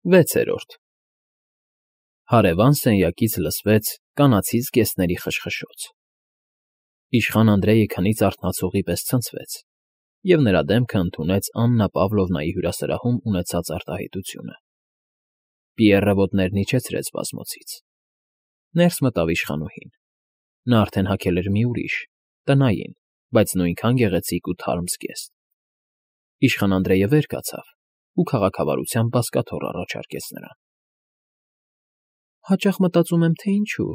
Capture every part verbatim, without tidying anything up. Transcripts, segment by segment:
Վեցերորդ Հարևան սենյակից լսվեց կանացի զգեստների խշխշոց. իշխան Անդրեյը քնից արթնացողի պես ցնցվեց, և նրա դեմքը ընդունեց Աննա Պավլովնայի հյուրասրահում ունեցած արտահայտությունը. Պիեռը ոտներն իջեցրեց բազմոցից. ներս մտավ իշխանուհին. նա արդեն հագել էր մի ուրիշ, տնային, բայց նույնքան գեղեցիկ ու թարմ զգեստ. Իշխան Անդրեյը վեր կացավ ու քաղաքավարությամբ բազկաթոռ առաջարկեց նրան. Հաճախ մտածում եմ, թե ինչու,֊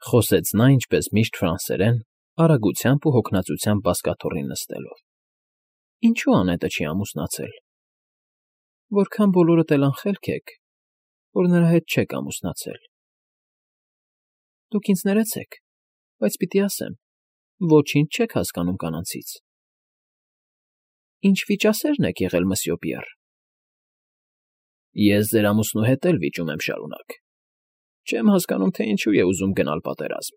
խոսեց նա ինչպես միշտ ֆրանսերեն, արագությամբ ու հոգնածությամբ բազկաթոռին նստելով,֊ ինչու անետը չի ամուսնացել… Որքան բոլորդ էլ անխելք եք, որ նրա հետ չեք ամուսնացել… Դուք ինձ ներեցեք, բայց պիտի ասեմ, ոչինչ չեք հասկանում կանանցից… Ինչ վիճասերն եք եղել, մսյո Պիեռ… Ես ձեր ամուսնու հետ էլ վիճում եմ շարունակ… Չեմ հասկանում, թե ինչու է ուզում գնալ պատերազմ,֊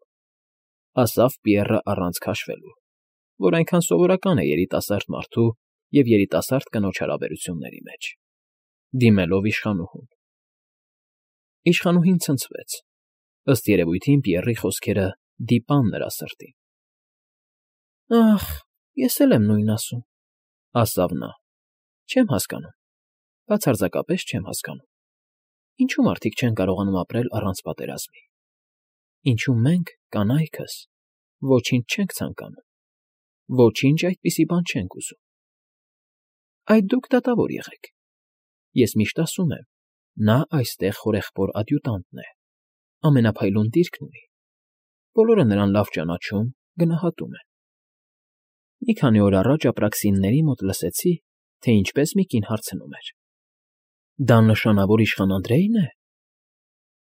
ասավ Պիեռը առանց քաշվելու, որ այնքան սովորական է երիտասարդ մարդու և երիտասարդ կնոջ հարաբերությունների մեջ, դիմելով իշխանուհուն։ Իշխանուհին ցնցվեց, ըստ երևույթին Պիեռի խոսքերը դիպան նրա սրտին։ Ախ, ես էլ եմ նույնն ասում,֊ ասավ նա,֊ չեմ հասկանում, բացարձակապես չեմ հասկանում… Ինչու մարդիկ չեն կարողանում ապրել առանց պատերազմի… Ինչու մենք, կանայքս, ոչինչ չենք ցանկանում, ոչինչ այդպիսի բան չենք ուզում… Այդ դուք դատավոր եղեք… Ես միշտ ասում եմ, նա այստեղ հորեղբոր ադյուտանտն է, ամենափայլուն դիրքն ունի, բոլորը նրան լավ ճանաչում, գնահատում են… Մի քանի օր առաջ ապրաքսինների մոտ լսեցի, թե ինչպես մի կին հարցնում էր. «Դա նշանավոր իշխան Անդրեյն է…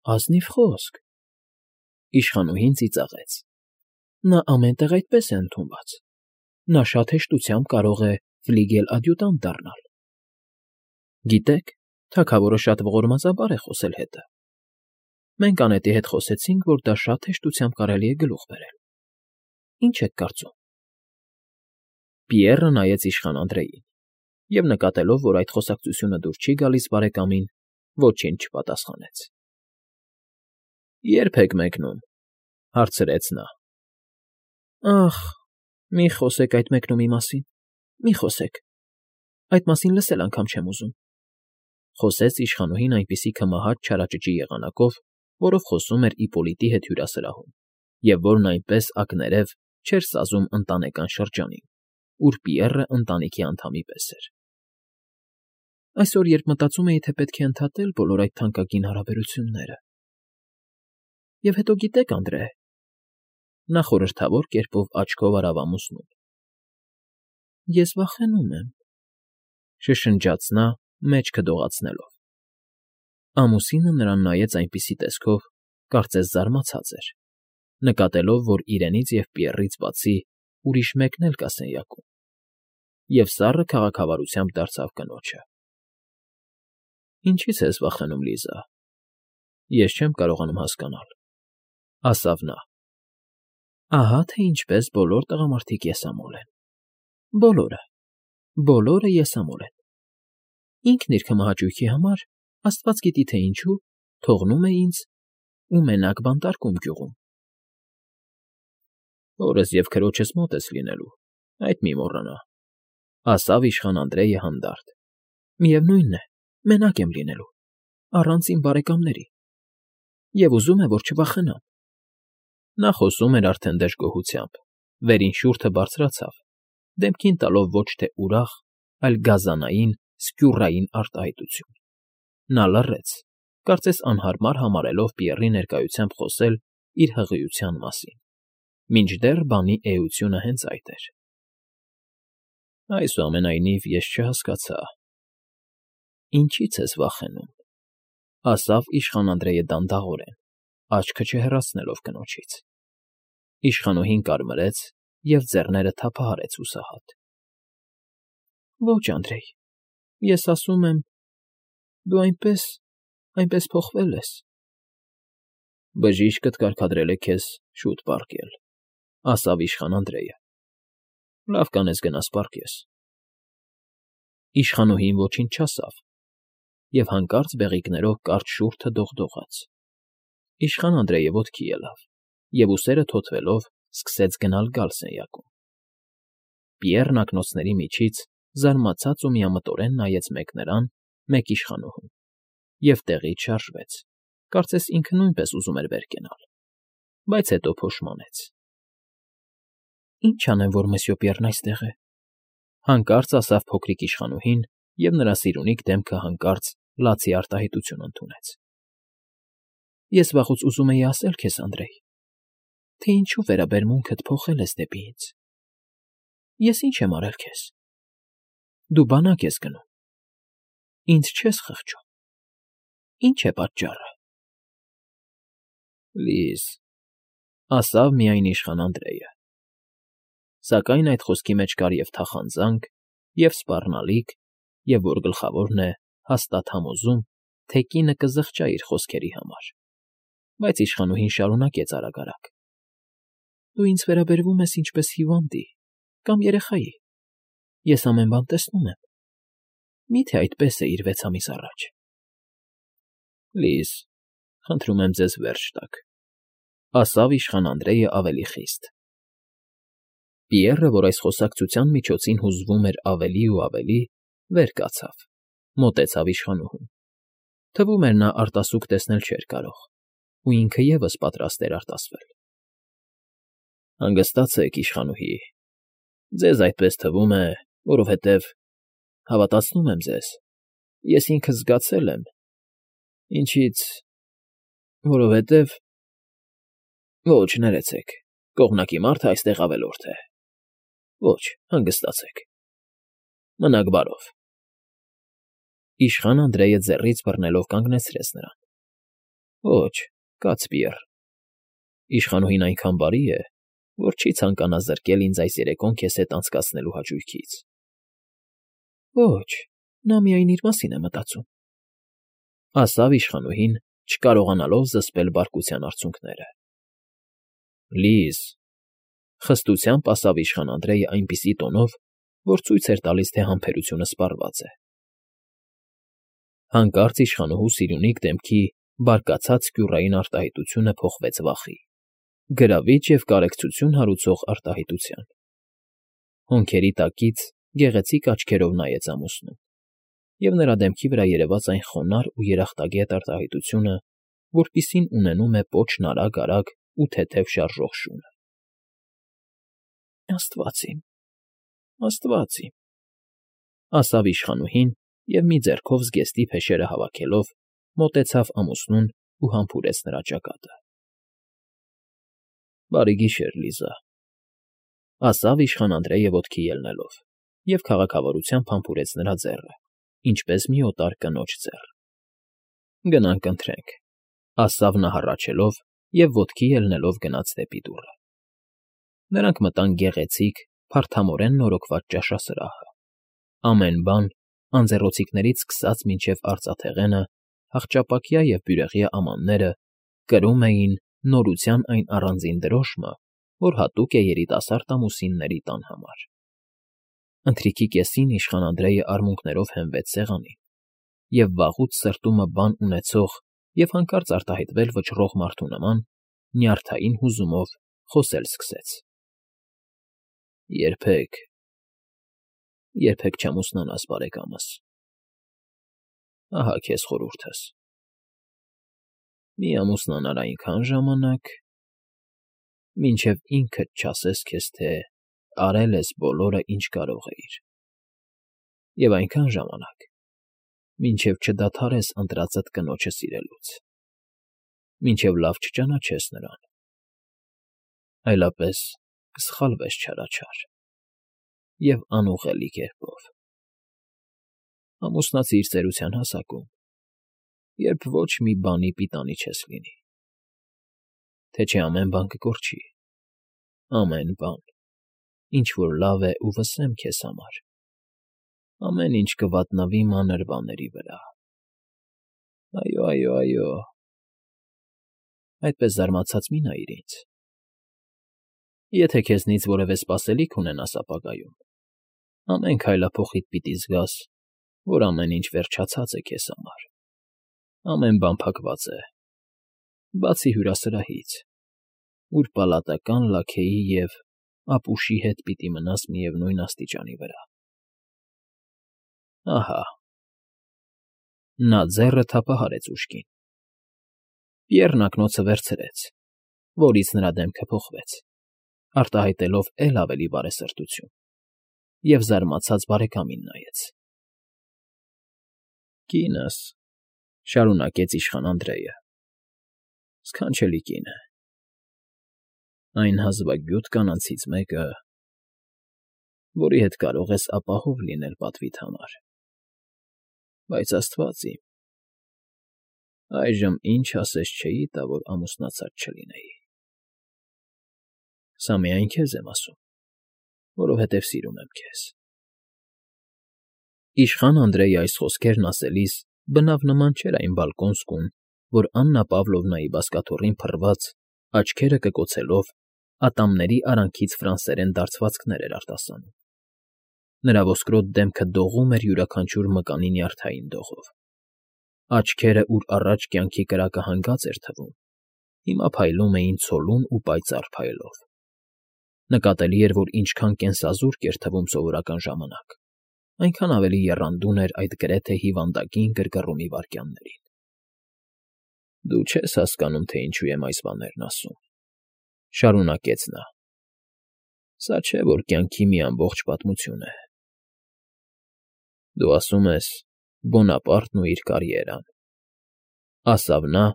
Ազնիվ խոսք…» Իշխանուհին ծիծաղեց. «Նա ամեն տեղ այդպես է ընդունված… Նա շատ հեշտությամբ կարող է ֆլիգել֊ադյուտանտ դառնալ… Գիտեք, թագավորը շատ ողորմածաբար է խոսել հետը… Մենք անետի հետ խոսեցինք, որ դա շատ հեշտությամբ կարելի է գլուխ բերել… Ինչ եք կարծում…» Պիեռը նայեց իշխան Անդրեյին և, նկատելով, որ այդ խոսակցությունը դուր չի գալիս բարեկամին, ոչինչ չպատասխանեց։ Ե՞րբ եք մեկնում,֊ հարցրեց նա։ Ախ, մի խոսեք այդ մեկնումի մասին, մի խոսեք… Այդ մասին լսել անգամ չեմ ուզում,֊ խոսեց իշխանուհին այնպիսի քմահաճ չարաճճի եղանակով, որով խոսում էր Իպոլիտի հետ հյուրասրահում, և որն այնպես ակներև չէր սազում ընտանեկան շրջանին, ուր Պիեռը ընտանիքի անդամի պես էր։ Այսօր, երբ մտածում էի, թե պետք է ընդհատել բոլոր այդ թանկագին հարաբերությունները… Եվ հետո գիտեք, Անդրեյ,֊ նա խորհրդավոր կերպով աչքով արավ ամուսնուն,֊ ես վախենում եմ,֊ շշնջաց նա, մեջքը դողացնելով։ Ամուսինը նրան նայեց այնպիսի տեսքով, կարծես զարմացած էր, նկատելով, որ իրենից և Պիեռից բացի ուրիշ մեկն էլ կա սենյակում, և սառը քաղաքավարությամբ դարձավ կնոջը։ Ինչի՞ց ես վախենում, Լիզա… Ես չեմ կարողանում հասկանալ,֊ ասավ նա։ Ահա թե ինչպես բոլոր տղամարդիկ եսամոլ են… Բոլորը, բոլորը եսամոլ են… Ինքն իր քմահաճույքի համար, աստված գիտի թե ինչու, թողնում է ինձ ու մենակ բանտարկում գյուղում… Հորս և քրոջս մոտ ես լինելու, այդ մի մոռանա,֊ ասավ իշխան Անդրեյը հանդարտ։ Միևնույն է, մենակ եմ լինելու, առանց իմ բարեկամների… Եվ ուզում է, որ չվախենամ… Նա խոսում էր արդեն դժգոհությամբ, վերին շուրջը բարձրացավ, դեմքին տալով ոչ թե ուրախ, այլ գազանային, սկյուռային արտահայտություն… Նա լռեց, կարծես անհարմար համարելով Պիեռի ներկայությամբ խոսել իր հղիության մասին, մինչդեռ բանի էությունը հենց այդ էր։ Այսուամենայնիվ, ես չհասկացա… Ինչի՞ց ես վախենում,֊ ասավ իշխան Անդրեյը դանդաղորեն, աչքը չհեռացնելով կնոջից։ Իշխանուհին կարմրեց և ձեռները թափահարեց հուսահատ։ Ոչ, Անդրեյ, ես ասում եմ, դու այնպես, այնպես փոխվել ես… Բժիշկդ կարգադրել է քեզ շուտ պառկել,֊ ասավ իշխան Անդրեյը։ Լավ կանես գնաս պառկես… Իշխանուհին ոչինչ չասավ և հանկարծ բեղիկներով կարճ շուրթը դողդողաց։ Իշխան Անդրեյը ոտքի ելավ և, ուսերը թոթվելով, սկսեց գնալ֊գալ սենյակում։ Պիեռն ակնոցների միջից զարմացած ու միամտորեն նայեց մեկ նրան, մեկ իշխանուհուն և տեղից շարժվեց, կարծես ինքը նույնպես ուզում էր վեր կենալ, բայց հետո փոշմանեց։ ֊ Ի՞նչ անեմ, որ մսьյո Պիեռն այստեղ է,֊ հանկարծ ասավ փոքրիկ իշխանուհին, և նրա սիրունիկ դեմքը հանկարծ լացի արտահայտություն ընդունեց։ ֊ Ես վաղուց ուզում էի ասել քեզ, Անդրեյ, թե ինչու վերաբերմունքդ փոխել ես դեպի ինձ։ Ես ի՞նչ եմ արել քեզ։ Դու բանակ ես գնում, ինձ չես խղճում, ի՞նչ է պատճառը։ ֊ Լիզ,֊ ասավ միայն իշխան Անդրեյը, սակայն այդ խոսքի մեջ կար և թախանձանք, և սպառնալիք, և, որ գլխավորն է, հաստատ համոզում, թե կինը կզղջա իր խոսքերի համար, բայց իշխանուհին շարունակեց արագ֊արագ. Դու ինձ վերաբերվում ես ինչպես հիվանդի կամ երեխայի, ես ամեն բան տեսնում եմ, մի՞թե այդպես է իր վեց ամիս առաջ։ ֊ Լիզ, խնդրում եմ ձեզ վերջ տաք,֊ ասավ իշխան Անդրեյը ավելի խիստ։ Պիեռը, որ այս խոսակցության միջոցին հուզվում էր ավելի ու ավելի, վեր կացավ, մոտեցավ իշխանուհուն. թվում էր նա արտասուք տեսնել չէր կարող, ու ինքը ևս պատրաստ էր արտասվել։ ֊ Հանգստացեք, իշխանուհի, ձեզ այդպես թվում է, որովհետև, հավատացնում եմ ձեզ, ես ինքս զգացել եմ, ինչից… որովհետև… Ոչ, ներեցեք, կողմնակի մարդը այստեղ ավելորդ է… Ոչ, հանգստացեք… Մնաք բարով… Իշխան Անդրեյը ձեռից բռնելով կանգնեցրեց նրան։ ֊ Ոչ, կաց Պիեռ… Իշխանուհին այնքան բարի է, որ չի ցանկանա զրկել ինձ այս երեկոն քեզ հետ անցկացնելու հաճույքից։ ֊ Ոչ, նա միայն իր մասին է մտածում,֊ ասավ իշխանուհին, չկարողանալով զսպել բարկության արցունքները։ ֊ Լիզ…֊ խստությամբ ասավ իշխան Անդրեյը այնպիսի տոնով, որ ցույց էր տալիս, թե համբերությունը սպառված է։ Հանկարծ իշխանուհու սիրունիկ դեմքի բարկացած սկյուռային արտահայտությունը փոխվեց վախի, գրավիչ և կարեկցություն հարուցող արտահայտության։ Հոնքերի տակից գեղեցիկ աչքերով նայեց ամուսնուն, և նրա դեմքի վրա երևաց այն խոնարհ ու երախտագետ արտահայտությունը, որպիսին ունենում է պոչն արագ֊արագ ու թեթև շարժող շունը։ ֊ Աստված իմ, աստված իմ,֊ ասավ իշխանուհին և մի ձեռքով զգեստի փեշերը հավաքելով, մոտեցավ ամուսնուն ու համբուրեց նրա ճակատը։ ֊ Բարի գիշեր, Լիզա,֊ ասավ իշխան Անդրեյը ոտքի ելնելով և քաղաքավարությամբ համբուրեց նրա ձեռը, ինչպես մի օտար կնոջ ձեռ։ ֊ Գնանք ընթրենք,֊ ասավ նա հառաչելով և ոտքի ելնելով գնաց դեպի դուռը։ Նրանք մտան գեղեցիկ, փարթամորեն նորոգված ճաշասրահը։ Ամեն բան, անձեռնոցիկներից սկսած մինչև արծաթեղենը, հախճապակյա և բյուրեղյա ամանները, կրում էին նորության այն առանձին դրոշմը, որ հատուկ է երիտասարդ ամուսինների տան համար։ Ընթրիքի կեսին իշխան Անդրեյը արմունկներով հենվեց սեղանին և վաղուց սրտումը բան ունեցող և հանկարծ արտահայտվել վճռող մարդու նման, նյարդային հուզումով խոսել սկսեց. ֊ Երբեք… երբեք չամուսնանաս, բարեկամս… Ահա քեզ խորհուրդս. մի ամուսնանար այնքան ժամանակ, մինչև ինքդ չասես քեզ, թե արել ես բոլորը, ինչ կարող էիր, և այնքան ժամանակ, մինչև չդադարես ընտրածդ կնոջը սիրելուց, մինչև լավ չճանաչես նրան, այլապես կսխալվես չարաչար և անուղղելի կերպով… Ամուսնացիր ծերության հասակում, երբ ոչ մի բանի պիտանի չես լինի, թե չէ ամեն բան կկորչի, ամեն բան, ինչ որ լավ է ու վսեմ քեզ համար, ամեն ինչ կվատնվի մանր բաների վրա… Այո, այո, այո… Այդպես զարմացած մի նայիր ինձ… Եթե քեզնից որևէ սպասելիք ունենաս ապագայում, ամեն քայլափոխիդ պիտի զգաս, որ ամեն ինչ վերջացած է քեզ համար։ Ամեն բան փակված է, բացի հյուրասրահից, ուր պալատական լաքեի և ապուշի հետ պիտի մնաս միևնույն աստիճանի վրա։ Ահա… Նա ձեռը թափահարեց ուշքին։ Պիեռն ակնոցը վերցրեց, որից նրա դեմքը փոխվեց, արտահայտելով էլ ավելի բարեսրտություն, և զարմացած բարեկամին նայեց։ ֊ Կինս,֊ շարունակեց իշխան Անդրեյը,֊ սքանչելի կին է, այն հազվագյուտ կանանցից մեկը, որի հետ կարող ես ապահով լինել պատվիդ համար, բայց, աստված իմ, այժմ ինչ ասես չէի տա, որ ամուսնացած չլինեի… Սա միայն քեզ եմ ասում, որովհետև սիրում եմ քեզ… Իշխան Անդրեյը այս խոսքերն ասելիս բնավ նման չէր այն բալկոնսկուն, որ Աննա Պավլովնայի բազկաթոռին փռված, աչքերը կկոցելով, ատամների արանքից ֆրանսերեն դարձվածքներ էր արտասանում. նրա ոսկրոտ դեմքը դողում էր յուրաքանչյուր մկանի նյարդային դողով, աչքերը, ուր առաջ կյանքի կրակը հանգած էր թվում, հիմա փայլում էին ցոլուն ու պայծառ փայլով. նկատելի էր, որ ինչքան կենսազուրկ էր թվում սովորական ժամանակ, այնքան ավելի եռանդուն էր այդ գրեթե հիվանդագին գրգռումի վայրկյաններին։ ֊ Դու չես հասկանում, թե ինչու եմ այս բաներն ասում,֊ շարունակեց նա,֊ սա չէ, որ կյանքի մի ամբողջ պատմություն է… Դու ասում ես Բոնապարտն ու իր կարիերան,֊ ասավ նա,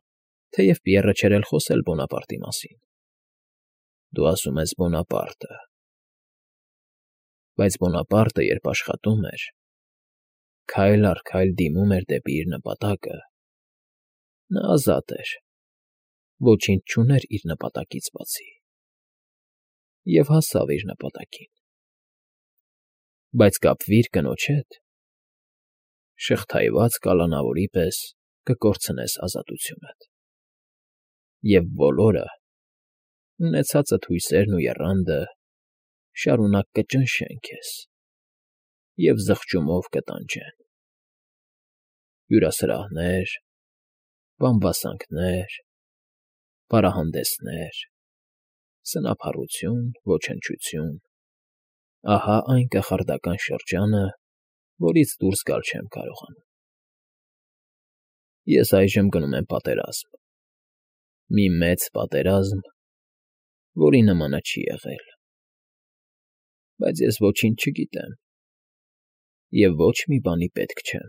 թեև Պիեռը չէր էլ խոսել Բոնապարտի մասին,֊ դու ասում ես Բոնապարտը… Բայց Բոնապարտը, երբ աշխատում էր, քայլ առ քայլ դիմում էր դեպի իր նպատակը, նա ազատ էր, ոչինչ չուներ իր նպատակից բացի, և հասավ իր նպատակին… Բայց կապվիր կնոջ հետ, շղթայված կալանավորի պես կկորցնես ազատությունդ, և բոլորը, ունեցածդ հույսերն ու եռանդը, շարունակ կճնշեն քեզ և զղջումով կտանջեն… Հյուրասրահներ, բամբասանքներ, պարահանդեսներ, սնափառություն, ոչնչություն… Ահա այն կախարդական շրջանը, որից դուրս գալ չեմ կարողանում… Ես այժմ գնում եմ պատերազմ, մի մեծ պատերազմ, որի նմանը չի եղել… Բայց ես ոչինչ չգիտեմ և ոչ մի բանի պետք չեմ…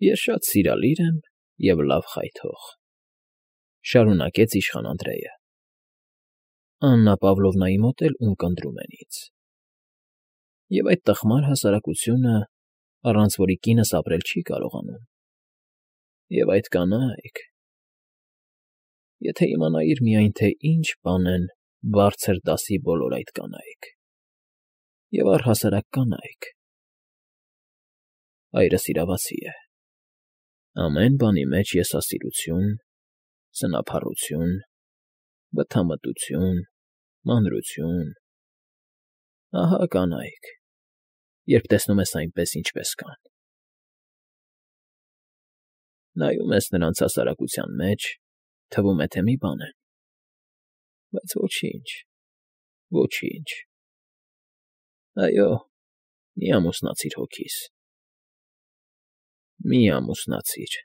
Ես շատ սիրալիր եմ և լավ խայթող,֊ շարունակեց իշխան Անդրեյը։֊ Աննա Պավլովնայի մոտ էլ ունկնդրում են ինձ… Եվ այդ տխմար հասարակությունը, առանց որի կինս ապրել չի կարողանում… Եվ այդ կանայք… Եթե իմանայիր միայն, թե ինչ բան են բարձր դասի բոլոր այդ կանայք… Եվ առհասարակ կանայք… Հայրս իրավացի է… Ամեն բանի մեջ եսասիրություն, սնափառություն, բթամտություն, մանրություն… Ահա կանայք, երբ տեսնում ես այնպես, ինչպես կան… Նայում ես նրանց հասարակության մեջ, թվում է, թե մի բան են… Բայց ոչինչ… ոչինչ… Այո, մի ամուսնացիր հոգիս… Մի ամուսնացիր…֊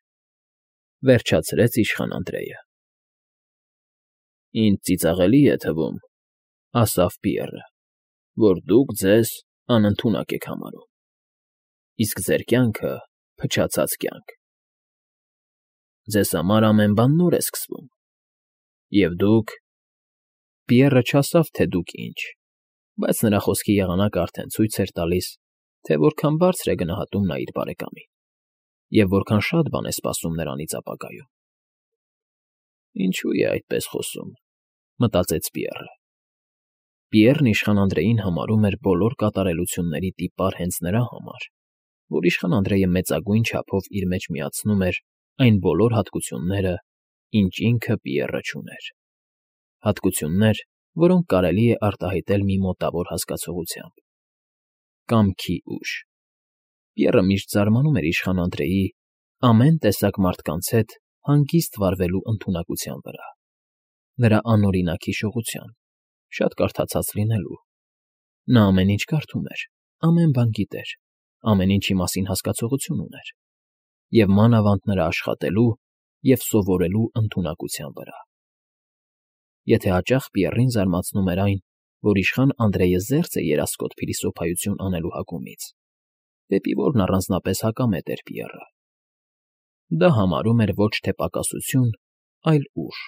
վերջացրեց իշխան Անդրեյը։ ֊ Ինձ ծիծաղելի է թվում,֊ ասավ Պիեռը,֊ որ դուք ձեզ անընդունակ եք համարում, իսկ ձեր կյանքը փչացած կյանք… Ձեզ համար ամեն բան նոր է սկսվում… Եվ դուք… Պիեռը չասավ, թե դուք ինչ, բայց նրա խոսքի եղանակն արդեն ցույց էր տալիս, թե որքան բարձր է գնահատում նա իր բարեկամին և որքան շատ բան է սպասում նրանից ապագայում։ «Ինչո՞ւ է այդպես խոսում,֊ մտածեց Պիեռը։ Պիեռն իշխան Անդրեյին համարում էր բոլոր կատարելությունների տիպար հենց նրա համար, որ իշխան Անդրեյը մեծագույն չափով իր մեջ միացնում էր այն բոլոր հատկությունները, ինչ ինքը Պիեռը չուներ… Հատկություններ, որոնք կարելի է արտահայտել մի մոտավոր հասկացությամբ… Կամքի ուժ… Պիեռը միշտ զարմանում էր իշխան Անդրեյի Ամեն տեսակ մարդկանց հետ հանգիստ վարվելու ընդունակության վրա, նրա անօրինակ հիշողության, շատ կարդացած լինելու. նա ամեն ինչ կարդում էր, ամեն բան գիտեր, ամեն ինչի մասին հասկացողություն ուներ, և մանավանդ նրա աշխատելու և սովորելու ընդունակության վրա։ Եթե հաճախ Բիեռին զարմացնում էր այն, որ իշխան Անդրեյը զերծ է երասկոտ փիլիսոփայություն անելու հակումից, դեպի որն առանձնապես հակամետ էր Բիեռը, դա համարում էր ոչ թե պակասություն, այլ ուժ։